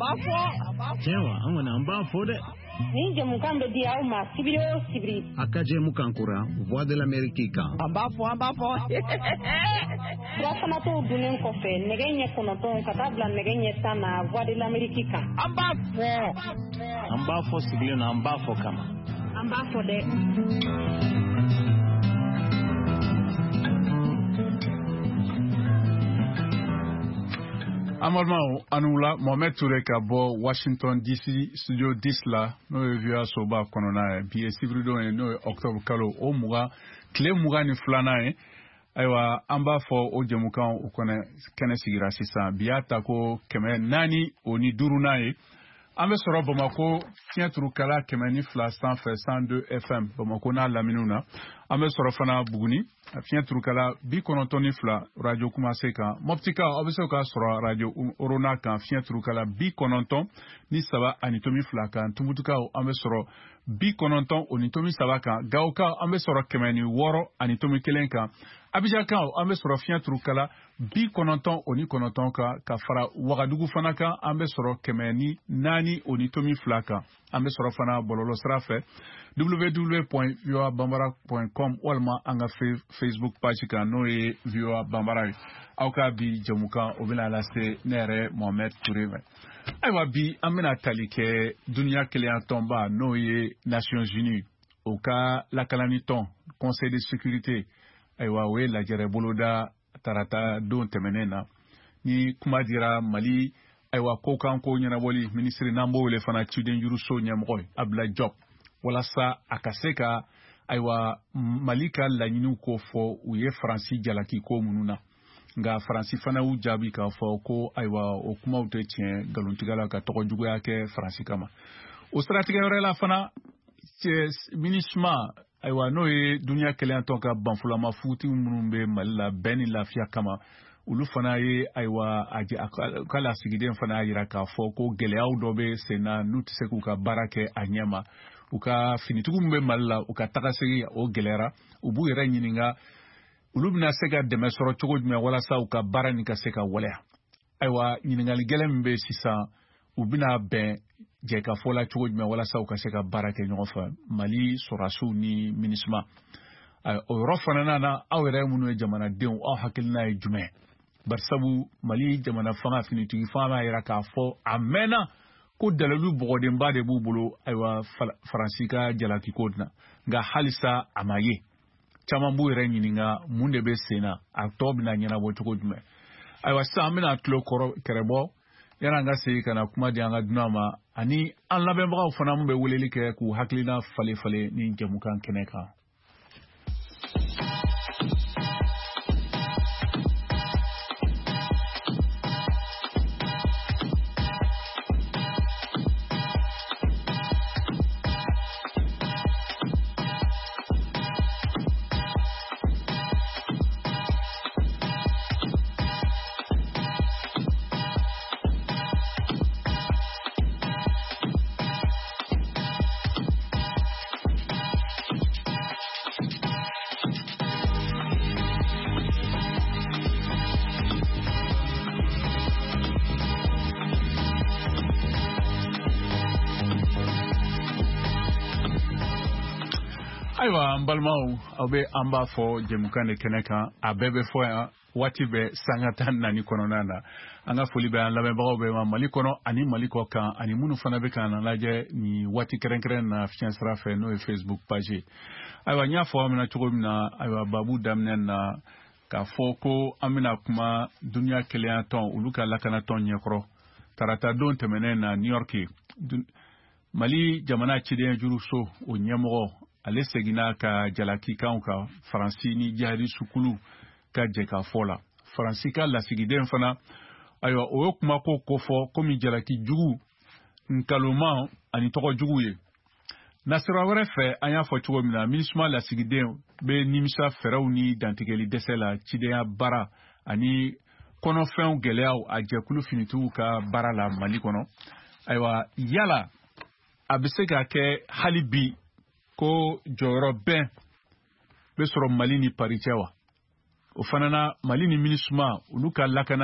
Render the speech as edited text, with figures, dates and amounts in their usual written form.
b'a fɔ. Tiɲɛ wa, an kɔni an b'a fɔ dɛ. Nin jɛmukan bɛ di aw ma sibiri o sibiri. A ka jɛmukan kura Voix de l'Amérique kan. An b'a fɔ, an b'a fɔ. Sirafanatɔw dunnen kɔfɛ nɛgɛ ɲɛ 9 ka taa bila nɛgɛ ɲɛ 10 na Voix de l'Amérique kan. An b'a fɔ. An b'a fɔ sigilen na, an b'a fɔ kama. An b'a fɔ dɛ. An balimaw, aw ni wula. Mohamed Toure ka bɔ Washington DC studio 10 la, n'o ye VOA soba kɔnɔna ye. Bi ye sibiridon ye, n'o ye octobre kalo o 20, tile 22nan ye. Ayiwa, an b'a fɔ o jɛmukan o kɔnɔ kɛnɛ sigira sisan. Bi y'a ta ko 405nan ye. An bɛ sɔrɔ Bamako fiɲɛ turukala 102 sanfɛ, 102 FM, Bamako n'a laminiw na. An bɛ sɔrɔ fana Buguni fiɲɛ turukala 92 radio Kumase kan. Mɔptika, aw bɛ se k'a sɔrɔ radio Orona kan, fiɲɛ turukala 93.2 kan. Tumutukaw, an bɛ sɔrɔ 90.3 kan. Gawokaw, an bɛ sɔrɔ 106.1 kan. Abijankaw, an bɛ sɔrɔ fiɲɛ turukala 99 kan, ka fara Wagadugu fana kan, an bɛ sɔrɔ 104.2 kan. An bɛ sɔrɔ fana bɔlɔlɔ sira fɛ www.voabambara.com walima an ka Facebook page kan, n'o ye VOA Bambara ye. Aw ka bi jɛmukan o bɛna lase ne yɛrɛ Mohamed Toure fɛ. Ayiwa, bi an bɛna tali kɛ duniya kelenya tɔnba, n'o ye Nations Unies, o ka lakalani tɔn Conseil de sécurité. Ayiwa, o ye lajɛrɛ boloda tarata don tɛmɛnen na, ni kuma dira Mali, ayiwa, ko kan ko ɲɛnabɔli minisiri, n'an b'o wele fana cidenjuruso ɲɛmɔgɔ ye, Abdoulaye Diop, walasa a ka se ka, ayiwa, Mali ka laɲiniw ko fɔ u ye Faransi jalaki ko minnu na. Nka Faransi fana y'u jaabi k'a fɔ ko, ayiwa, o kumaw tɛ tiɲɛ, nkalontigɛ la ka tɔgɔ juguya kɛ Faransi kama. O siratigɛ wɛrɛ la fana, MINUSMA, ayiwa, n'o ye duniya kelenya tɔn ka banfulama futi minnu bɛ Mali la bɛn ni lafiya kama, olu fana ye, ayiwa, a ka lasigiden fana y'a jira k'a fɔ ko gɛlɛyaw dɔ bɛ sen na, n'u tɛ se k'u ka baara kɛ a ɲɛ ma. U ka finitigiw min bɛ Mali la, u ka tagasegin o gɛlɛyara. U b'u yɛrɛ ɲininka olu bɛna se ka dɛmɛ sɔrɔ cogo jumɛn walasa u ka baara nin ka se ka waleya. Ayiwa, ɲininkali gɛlɛn min bɛ sisan, u bɛna bɛn jɛkafɔ la cogo jumɛn walasa u ka se ka baara kɛ ɲɔgɔn fɛ, Mali sɔrɔdasiw ni MINUSMA? O yɔrɔ fana na, aw yɛrɛ minnu ye jamanadenw, aw hakilina ye jumɛn? Barisabu Mali jamana fanga, finitigi fanga b'a jira k'a fɔ a mɛnna ko dalilu bɔgɔdenba de b'u bolo, ayiwa, Faransi ka jalakiko na, nka halisa a ma ye. Caman b'u yɛrɛ ɲininka mun de bɛ sen na, a tɔ bɛna ɲɛnabɔ cogo jumɛn? Ayiwa, sisan an bɛna tulo kɔrɔ kɛrɛbɔ yanni an ka segin ka na kuma di an ka dunan ma, ani an lamɛnbagaw fana min bɛ weleli kɛ k'u hakilina falen falen ni jɛmukan kɛnɛ kan. Ayiwa, an balimaw, aw bɛ an b'a fɔ jɛmukan de kɛnɛ kan, a bɛɛ bɛ fɔ yan waati bɛɛ sanga 14 kɔnɔna na. An ka foli bɛ an lamɛnbagaw bɛɛ ma Mali kɔnɔ ani Mali kɔ kan, ani minnu fana bɛ k'an lajɛ nin waati kɛrɛnkɛrɛn na fiɲɛ sira fɛ, n'o ye Facebook page ye. Ayiwa, n y'a fɔ aw ɲɛna cogo min na, ayiwa, babu daminɛ na k'a fɔ ko an bɛna kuma duniya kelenya tɔn, olu ka lakanatɔn ɲɛkɔrɔ tarata don tɛmɛnen na New York, Mali jamana ciden juruso o ɲɛmɔgɔ, ale seginna ka jalakikanw kan Faransi ni jihadisukulu ka jɛkafɔ la. Faransi ka lasigiden fana, ayiwa, o ye kumako kofɔ komi jalaki jugu, nkalonman ani tɔgɔ jugu ye. Nasira wɛrɛ fɛ, an y'a fɔ cogo min na, MINUSMA lasigiden bɛ nimisa fɛɛrɛw ni dantigɛli dɛsɛ la cidenya baara ani kɔnɔfɛnw gɛlɛyaw a jɛkulu finitigiw ka baara la Mali kɔnɔ. Ayiwa, yala a bɛ se ka kɛ hali bi ko jɔyɔrɔ bɛn bɛ sɔrɔ Mali ni Paris cɛ wa? O fana na, Mali ni MINUSMA, olu ka lakana